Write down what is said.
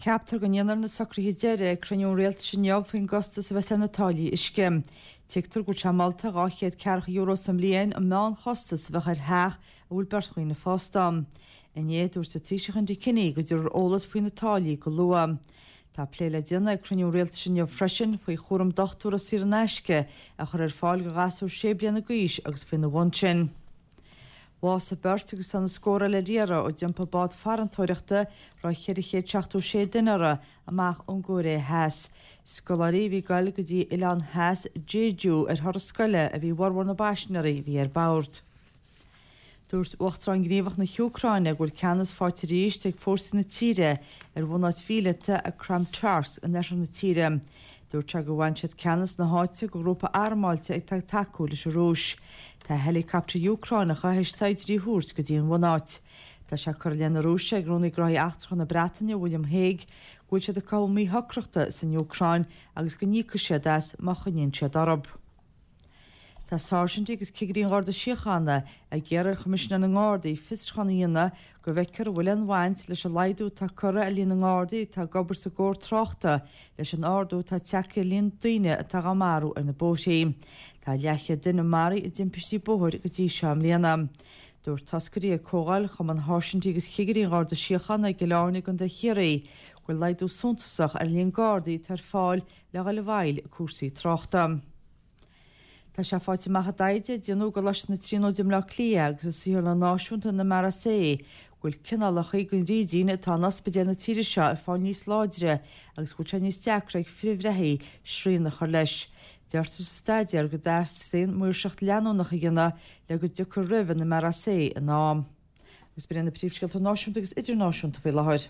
Ceaptar go ndéanfar na socruithe deiridh ag cruinniú an Rialtais inniu faoin gcostas a bheas ar na táillí uisce. Tuigtear go bhfuil sé molta €240 sa mbliain an meánchostas a bheadh ar theach a bhfuil beirt dhaoine fásta ann. Inné, dúirt an Taoiseach Enda Kenny go dtabharfar eolas faoi na táillí go luath. Tá plé le déanamh ag cruinniú an Rialtais inniu freisin faoi chúram dochtúra saor in aisce a chur ar fáil do ghasúir sé bliana d'aois agus faoina bhun sin. Bhásaigh beirt agus tá na scórtha eile ar iarraidh ó d'iompaigh bád farantóireachta a raibh 476 duine uirthi amach ón gCóiré Theas. Scoláirí a bhí ag goil go dtí oileán theas Jeju ar thuras scoile a bhí i bhformhór na bpaisinéirí a bhí ar bord. Dúirt Uachtarán Gníomhach na hÚcráine go bhfuil ceannas faighte arís ag fórsaí na tíre ar bhunáit mhíleata ag Kramatorsk in oirthear na tíre. Dúirt sé gur bhain siad ceannas na háite de ghrúpa armáilte atá ag tacú leis an Rúis. Tá heileacaptair Úcránacha théis saighdiúirí a thabhairt go dtí an bhunáit. Tá sé curtha i leith na Rúise ag Rúnaí Gnóthaí Eachtracha na Breataine, William Hague, go bhfuil siad ag cothú míshocrachta san Úcráin agus go n-íocfaidh siad as má choinníonn siad orthu. Tá sáirsintí agus cigirí an Gharda Síochána ag iarraidh ar Choimisinéir na nGardaí fiosrúchán a dhéanamh go bhfeicfear an bhfuil aon bhaint leis an laghdú atá curtha ar líon na nGardaí atá ag obair sa gcór tráchta leis an ardú atá tagtha ar líon daoine atá dhá marú ar na bóithrí. Tá leathchéad duine maraithe i dtimpistí bóthair go dtí seo i mbliana. Dúirt toscairí ag Comhdháil Chumann Sháirsintí agus Chigirí an Gharda Síochána i gCill Airne i gContae Chiarraí go bhfuil laghdú suntasach ar líon Gardaí atá ar fáil le dhul i bhfeighil cúrsaí tráchta. Tá sé faighte amach i dtaighde a déanadh i gColáiste na Tríonóide i mBleá Cliath agus i Saotharlann Náisiúnta an MRSA go bhfuil cineálacha den fhrídín atá in ospidéil na tíre seo ag fáil níos láidre agus go bhfuil sé níos deacra ag frithbhreithí srian a chur leis. Deirtear sa staidéar go dteastaíonn maoirseacht leanúnach a dhéanamh le go dtiocfar roimh an MRSA in am. Agus b'in iad na príomhscéalta náisiúnta agus idirnáisiúnta faoi láthair.